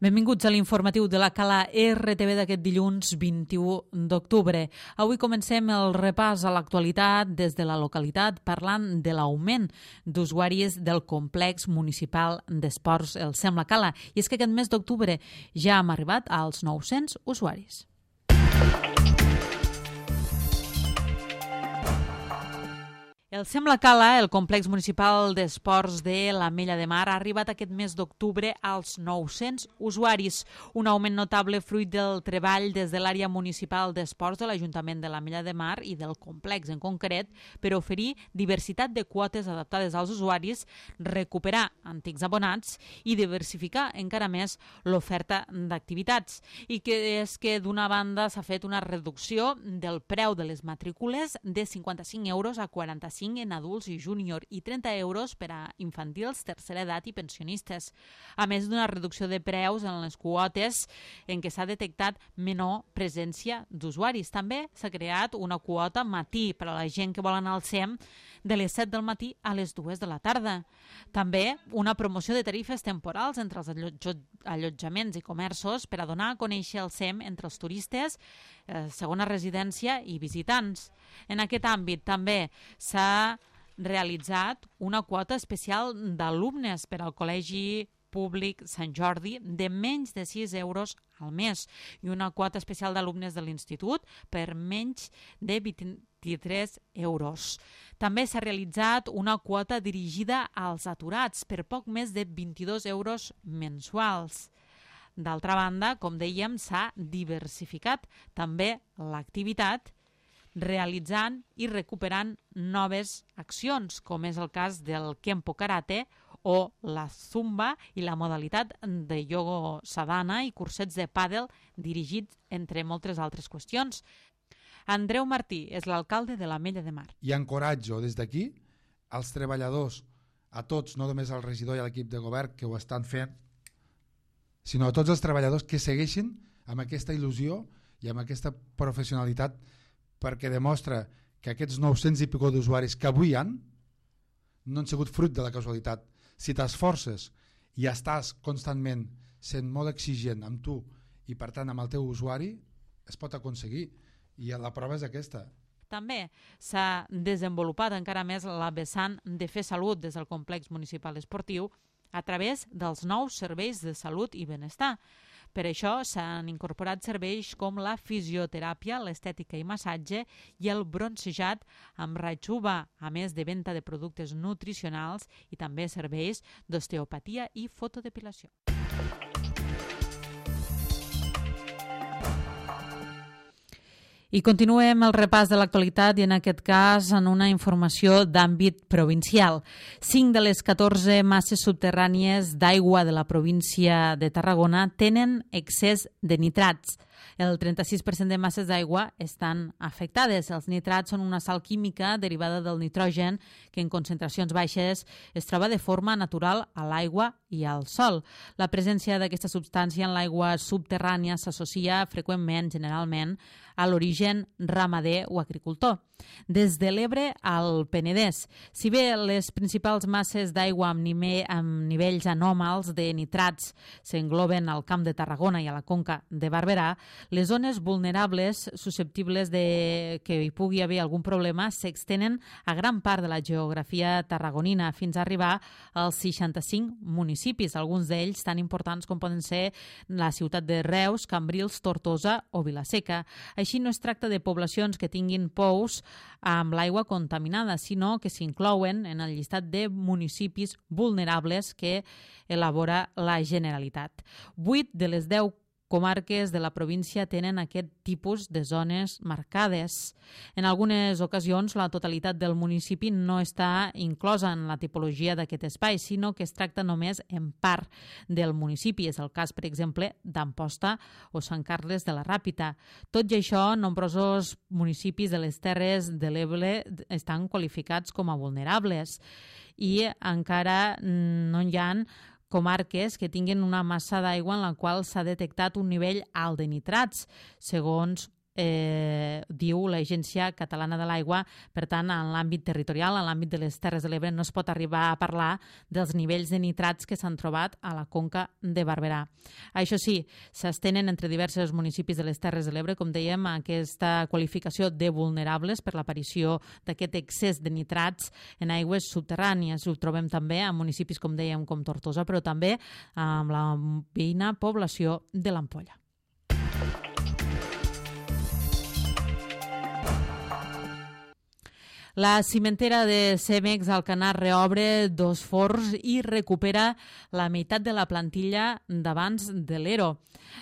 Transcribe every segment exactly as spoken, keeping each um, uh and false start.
Benvinguts a l'informatiu de la Cala R T V d'aquest dilluns vint-i-u d'octubre. Avui comencem el repàs a l'actualitat des de la localitat parlant de l'augment d'usuaris del complex municipal d'esports el Sem La Cala. I és que aquest mes d'octubre ja hem arribat als nou-cents usuaris. El Sem La Cala, el complex municipal d'esports de l'Ametlla de Mar, ha arribat aquest mes d'octubre als nou-cents usuaris, un augment notable fruit del treball des de l'àrea municipal d'esports de l'Ajuntament de l'Ametlla de Mar i del complex en concret per oferir diversitat de quotes adaptades als usuaris, recuperar antics abonats i diversificar encara més l'oferta d'activitats. I que és que d'una banda s'ha fet una reducció del preu de les matrícules de cinquanta-cinc euros a quaranta-cinc en adults i júnior i trenta euros per a infantils, tercera edat i pensionistes. A més d'una reducció de preus en les quotes en què s'ha detectat menor presència d'usuaris. També s'ha creat una quota matí per a la gent que vol anar al Sem de les set del matí a les dues de la tarda. També una promoció de tarifes temporals entre els allotjaments i comerços per a donar a conèixer el Sem entre els turistes, eh, segona residència i visitants. En aquest àmbit també s'ha realitzat una quota especial d'alumnes per al Col·legi Públic Sant Jordi de menys de sis euros al mes i una quota especial d'alumnes de l'institut per menys de vint-i-tres euros. També s'ha realitzat una quota dirigida als aturats per poc més de vint-i-dos euros mensuals. D'altra banda, com dèiem, s'ha diversificat també l'activitat realitzant i recuperant noves accions, com és el cas del Kempo Karate o la Zumba i la modalitat de ioga sadhana i cursets de pàdel dirigits entre moltes altres qüestions. Andreu Martí és l'alcalde de l'Ametlla de Mar. I encoratjo des d'aquí als treballadors, a tots, no només al regidor i a l'equip de govern que ho estan fent, sinó a tots els treballadors que segueixin amb aquesta il·lusió i amb aquesta professionalitat, perquè demostra que aquests nou-cents i pico d'usuaris que avui hi han no han sigut fruit de la casualitat. Si t'esforces i estàs constantment sent molt exigent amb tu i per tant amb el teu usuari, es pot aconseguir, i la prova és aquesta. També s'ha desenvolupat encara més la vessant de fer salut des del complex municipal esportiu a través dels nous serveis de salut i benestar. Per això s'han incorporat serveis com la fisioteràpia, l'estètica i massatge i el bronzejat amb raig U V A, a més de venda de productes nutricionals i també serveis d'osteopatia i fotodepilació. I continuem el repàs de l'actualitat i en aquest cas en una informació d'àmbit provincial. Cinc de les catorze masses subterrànies d'aigua de la província de Tarragona tenen excés de nitrats. El trenta-sis per cent de masses d'aigua estan afectades. Els nitrats són una sal química derivada del nitrogen que en concentracions baixes es troba de forma natural a l'aigua i al sòl. La presència d'aquesta substància en l'aigua subterrània s'associa freqüentment, generalment, a l'origen ramader o agricultor. Des de l'Ebre al Penedès. Si bé les principals masses d'aigua amb, nime, amb nivells anòmals de nitrats s'engloben al Camp de Tarragona i a la Conca de Barberà, les zones vulnerables susceptibles de que hi pugui haver algun problema s'extenen a gran part de la geografia tarragonina fins a arribar als seixanta-cinc municipis, alguns d'ells tan importants com poden ser la ciutat de Reus, Cambrils, Tortosa o Vilaseca. Així no es tracta de poblacions que tinguin pous amb l'aigua contaminada, sinó que s'inclouen en el llistat de municipis vulnerables que elabora la Generalitat. Vuit de les deu comarques de la província tenen aquest tipus de zones marcades. En algunes ocasions, la totalitat del municipi no està inclosa en la tipologia d'aquest espai, sinó que es tracta només en part del municipi. És el cas, per exemple, d'Amposta o Sant Carles de la Ràpita. Tot i això, nombrosos municipis de les Terres de l'Ebre estan qualificats com a vulnerables i encara no hi ha comarques que tinguin una massa d'aigua en la qual s'ha detectat un nivell alt de nitrats, segons eh, diu l'Agència Catalana de l'Aigua. Per tant, en l'àmbit territorial, en l'àmbit de les Terres de l'Ebre, no es pot arribar a parlar dels nivells de nitrats que s'han trobat a la conca de Barberà. Això sí, s'estenen entre diversos municipis de les Terres de l'Ebre, com dèiem, aquesta qualificació de vulnerables per l'aparició d'aquest excés de nitrats en aigües subterrànies. Ho trobem també en municipis, com dèiem, com Tortosa, però també amb la veïna població de l'Ampolla. La cimentera de Cemex Alcanar reobre dos forns i recupera la meitat de la plantilla d'abans de l'E R O.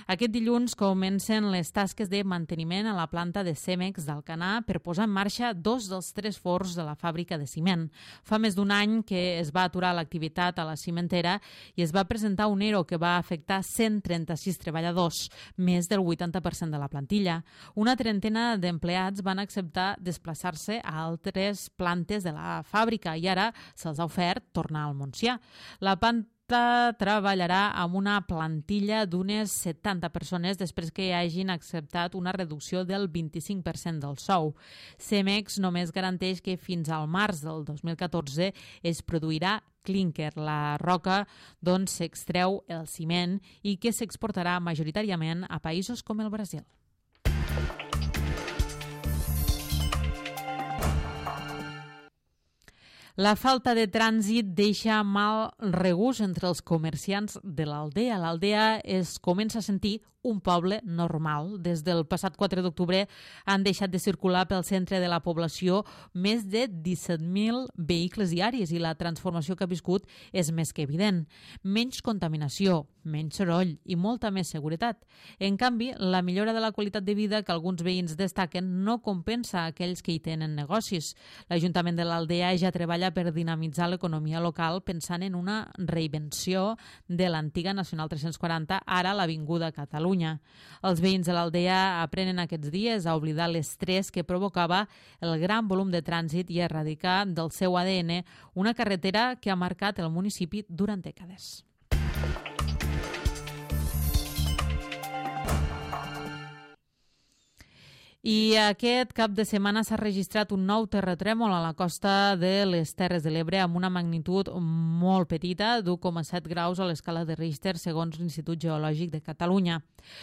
Aquest dilluns comencen les tasques de manteniment a la planta de Cemex d'Alcanar per posar en marxa dos dels tres forns de la fàbrica de ciment. Fa més d'un any que es va aturar l'activitat a la cimentera i es va presentar un E R O que va afectar cent trenta-sis treballadors, més del vuitanta per cent de la plantilla. Una trentena d'empleats van acceptar desplaçar-se a altres plantes de la fàbrica i ara se'ls ha ofert tornar al Montsià. La planta treballarà amb una plantilla d'unes setanta persones després que hagin acceptat una reducció del vint-i-cinc per cent del sou. Cemex només garanteix que fins al març del dos mil catorze es produirà clínquer, la roca d'on s'extreu el ciment i que s'exportarà majoritàriament a països com el Brasil. La falta de trànsit deixa mal regust entre els comerciants de l'Aldea. L'Aldea es comença a sentir un poble normal. Des del passat quatre d'octubre han deixat de circular pel centre de la població més de disset mil vehicles diaris i la transformació que ha viscut és més que evident. Menys contaminació, menys soroll i molta més seguretat. En canvi, la millora de la qualitat de vida que alguns veïns destaquen no compensa aquells que hi tenen negocis. L'Ajuntament de l'Aldea ja treballa per dinamitzar l'economia local pensant en una reinvenció de l'antiga Nacional tres-cents quaranta, ara l'Avinguda Catalunya. Els veïns de l'Aldea aprenen aquests dies a oblidar l'estrès que provocava el gran volum de trànsit i a erradicar del seu A D N una carretera que ha marcat el municipi durant dècades. I aquest cap de setmana s'ha registrat un nou terratrèmol a la costa de les Terres de l'Ebre amb una magnitud molt petita d'u coma set graus a l'escala de Richter, segons l'Institut Geològic de Catalunya.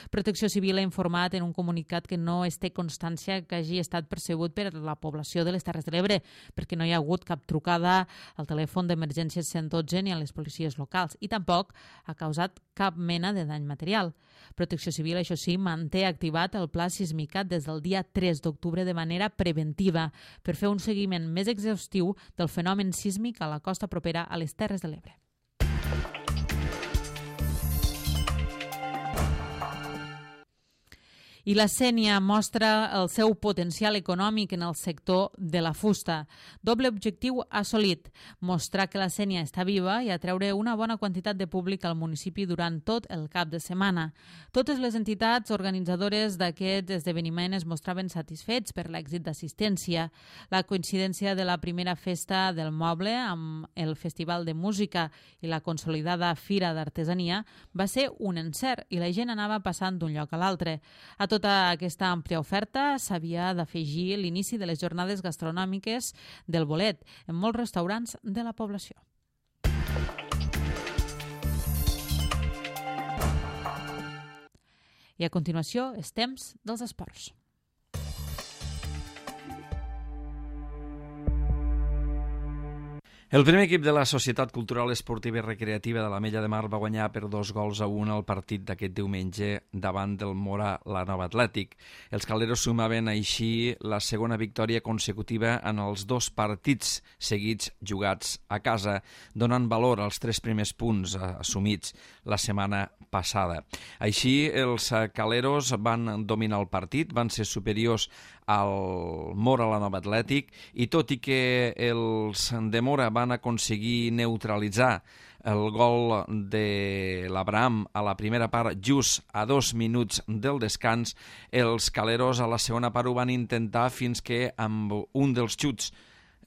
Protecció Civil ha informat en un comunicat que no es té constància que hagi estat percebut per la població de les Terres de l'Ebre, perquè no hi ha hagut cap trucada al telèfon d'emergències cent dotze ni a les policies locals i tampoc ha causat cap mena de dany material. Protecció Civil, això sí, manté activat el pla sismicat des del dia tres d'octubre de manera preventiva per fer un seguiment més exhaustiu del fenomen sísmic a la costa propera a les Terres de l'Ebre. I la Sénia mostra el seu potencial econòmic en el sector de la fusta. Doble objectiu assolit, mostrar que la Sénia està viva i atreure una bona quantitat de públic al municipi durant tot el cap de setmana. Totes les entitats organitzadores d'aquest esdeveniment es mostraven satisfets per l'èxit d'assistència. La coincidència de la primera festa del moble amb el Festival de Música i la consolidada Fira d'Artesania va ser un encert i la gent anava passant d'un lloc a l'altre. A tota aquesta àmplia oferta s'havia d'afegir l'inici de les jornades gastronòmiques del bolet en molts restaurants de la població. I a continuació, és temps dels esports. El primer equip de la Societat Cultural Esportiva i Recreativa de l'Ametlla de Mar va guanyar per dos gols a un el partit d'aquest diumenge davant del Mora la Nova Atlètic. Els caleros sumaven així la segona victòria consecutiva en els dos partits seguits jugats a casa, donant valor als tres primers punts assumits la setmana passada. Així, els caleros van dominar el partit, van ser superiors al Mora la Nova Atlètic i tot i que els de Mora van aconseguir neutralitzar el gol de l'Abraham a la primera part just a dos minuts del descans, els caleros a la segona part ho van intentar fins que amb un dels xuts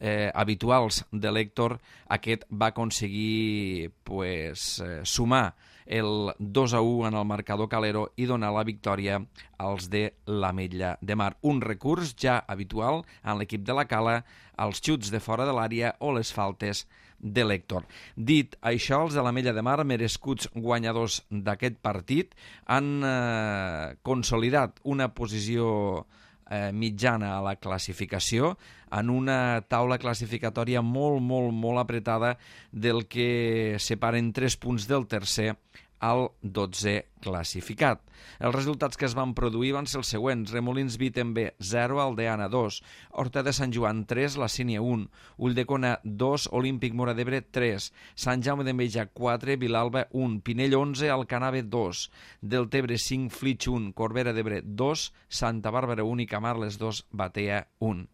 eh, habituals de l'Héctor, aquest va aconseguir pues, eh, sumar el dos a u en el marcador calero i donar la victòria als de l'Ametlla de Mar. Un recurs ja habitual en l'equip de la Cala, els xuts de fora de l'àrea o les faltes de l'Héctor. Dit això, els de l'Ametlla de Mar, merescuts guanyadors d'aquest partit, han eh, consolidat una posició eh, mitjana a la classificació en una taula classificatòria molt, molt, molt apretada del que separen tres punts del tercer al dotzè classificat. Els resultats que es van produir van ser els següents: Remolins Viten B zero, Aldeana dos, Horta de Sant Joan tres, La Sínia un, Ulldecona dos, Olímpic Móra d'Ebre tres, Sant Jaume d'Enveja quatre, Vilalba un, Pinell onze, Alcanave dos, Deltebre cinc, Flix un, Corbera d'Ebre dos, Santa Bàrbara un i Camarles dos, Batea un.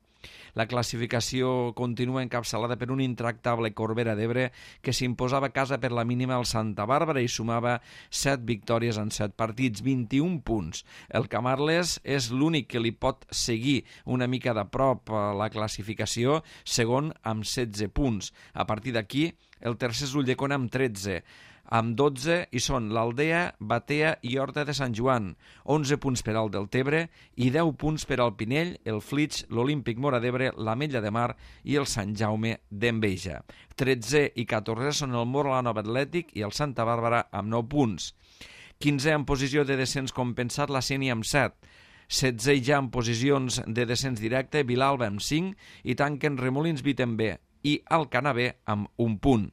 La classificació continua encapçalada per un intractable Corbera d'Ebre que s'imposava a casa per la mínima al Santa Bàrbara i sumava set victòries en set partits, vint-i-un punts. El Camarles és l'únic que li pot seguir una mica de prop a la classificació, segon amb setze punts. A partir d'aquí, el tercer és l'Ulldecona amb tretze. Amb dotze hi són l'Aldea, Batea i Horta de Sant Joan, onze punts per al Deltebre i deu punts per al Pinell, el Flix, l'Olímpic Móra d'Ebre, l'Ametlla de Mar i el Sant Jaume d'Enveja. tretze i catorze són el Móra la Nova Atlètic i el Santa Bàrbara amb nou punts. quinze en posició de descens compensat, la Sénia amb set. setze ja en posicions de descens directe, Vilalba amb cinc i tanquen Remolins Viten B i Alcanave amb un punt.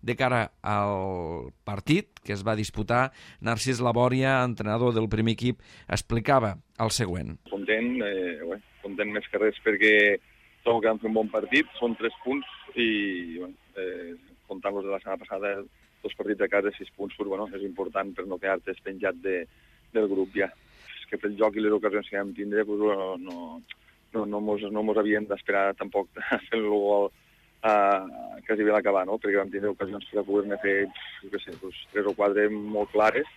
De cara al partit que es va disputar, Narcís Labòria, entrenador del primer equip, explicava el següent. Content, eh, bé, content més que res perquè trobo que vam fer un bon partit, són tres punts i bé, eh, comptant-los de la setmana passada, dos partits a casa, sis punts, però, bueno, és important per no quedar-te penjat de, del grup ja. És que pel joc i les ocasions que vam tindre pues, no, no, no, no, mos, no mos havien d'esperar tampoc a fer el gol Uh, quasi bé l'acabar, no? Perquè vam tindre ocasions per poder-ne fer, jo què sé, doncs, tres o quatre molt clares.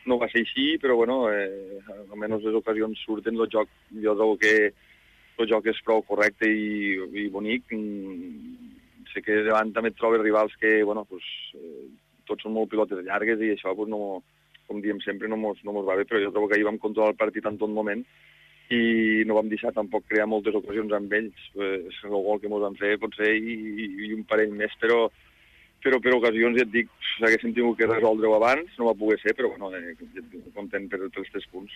No va ser així, però bueno, eh, almenys les ocasions surten, el joc, jo trobo que el joc és prou correcte i, i bonic. Mm, sé que davant també et trobes rivals que, bueno, pues, eh, tots són molt pilotes llargues i això, pues, no, com diem sempre, no mos, no mos va bé, però jo trobo que ahir vam controlar el partit en tot moment i no vam deixar tampoc crear moltes ocasions amb ells. Pues, el gol que ens van fer pot ser i, i, i un parell més, però, però per ocasions, ja et dic, haguéssim tingut que resoldre-ho abans, no va poder ser, però bueno, eh, content per els tres punts.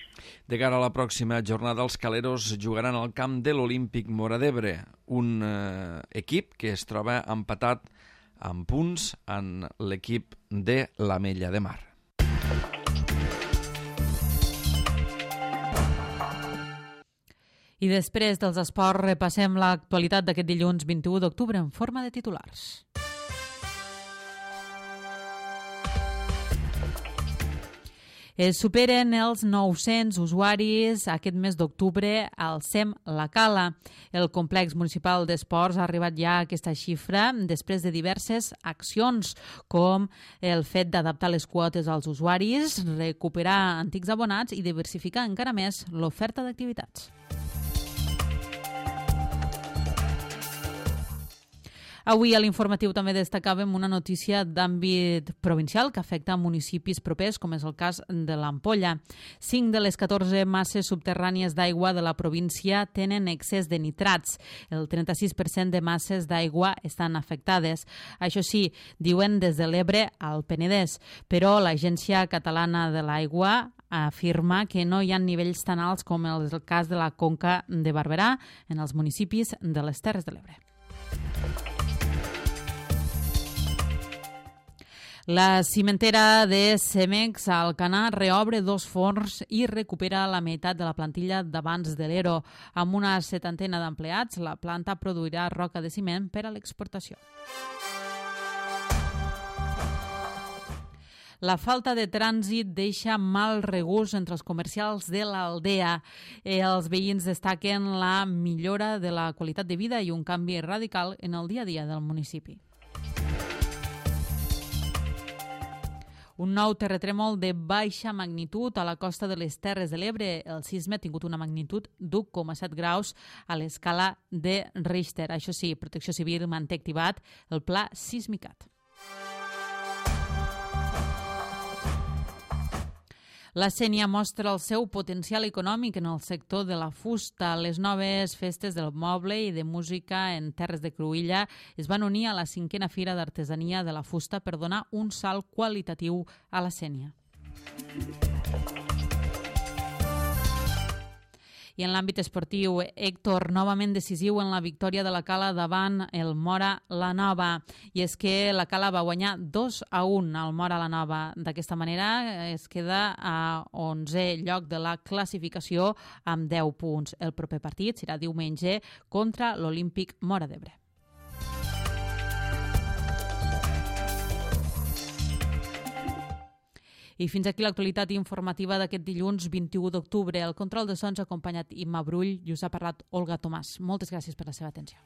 De cara a la pròxima jornada, els caleros jugaran al camp de l'Olímpic Móra d'Ebre, un eh, equip que es troba empatat amb punts en l'equip de l'Ametlla de Mar. I després dels esports repassem l'actualitat d'aquest dilluns vint-i-u d'octubre en forma de titulars. Es superen els nou-cents usuaris aquest mes d'octubre al SEM La Cala. El complex municipal d'esports ha arribat ja a aquesta xifra després de diverses accions, com el fet d'adaptar les quotes als usuaris, recuperar antics abonats i diversificar encara més l'oferta d'activitats. Avui a l'informatiu també destacàvem una notícia d'àmbit provincial que afecta municipis propers, com és el cas de l'Ampolla. Cinc de les catorze masses subterrànies d'aigua de la província tenen excés de nitrats. El trenta-sis per cent de masses d'aigua estan afectades. Això sí, diuen des de l'Ebre al Penedès, però l'Agència Catalana de l'Aigua afirma que no hi ha nivells tan alts com el cas de la Conca de Barberà en els municipis de les Terres de l'Ebre. La cimentera de Cemex a Alcanar reobre dos forns i recupera la meitat de la plantilla d'abans de l'Ero. Amb una setantena d'empleats, la planta produirà roca de ciment per a l'exportació. La falta de trànsit deixa mal regust entre els comercials de l'Aldea. Els veïns destaquen la millora de la qualitat de vida i un canvi radical en el dia a dia del municipi. Un nou terratrèmol de baixa magnitud a la costa de les Terres de l'Ebre. El sisme ha tingut una magnitud d'u coma set graus a l'escala de Richter. Això sí, Protecció Civil manté activat el pla Sismicat. La Sénia mostra el seu potencial econòmic en el sector de la fusta. Les noves festes del moble i de música en Terres de Cruïlla es van unir a la cinquena Fira d'Artesania de la Fusta per donar un salt qualitatiu a la Sénia. I en l'àmbit esportiu, Héctor, novament decisiu en la victòria de la Cala davant el Móra la Nova. I és que la Cala va guanyar dos a un al Móra la Nova. D'aquesta manera es queda a onzè lloc de la classificació amb deu punts. El proper partit serà diumenge contra l'Olímpic Móra d'Ebre. I fins aquí l'actualitat informativa d'aquest dilluns vint-i-u d'octubre. El control de sons ha acompanyat Imma Brull i us ha parlat Olga Tomàs. Moltes gràcies per la seva atenció.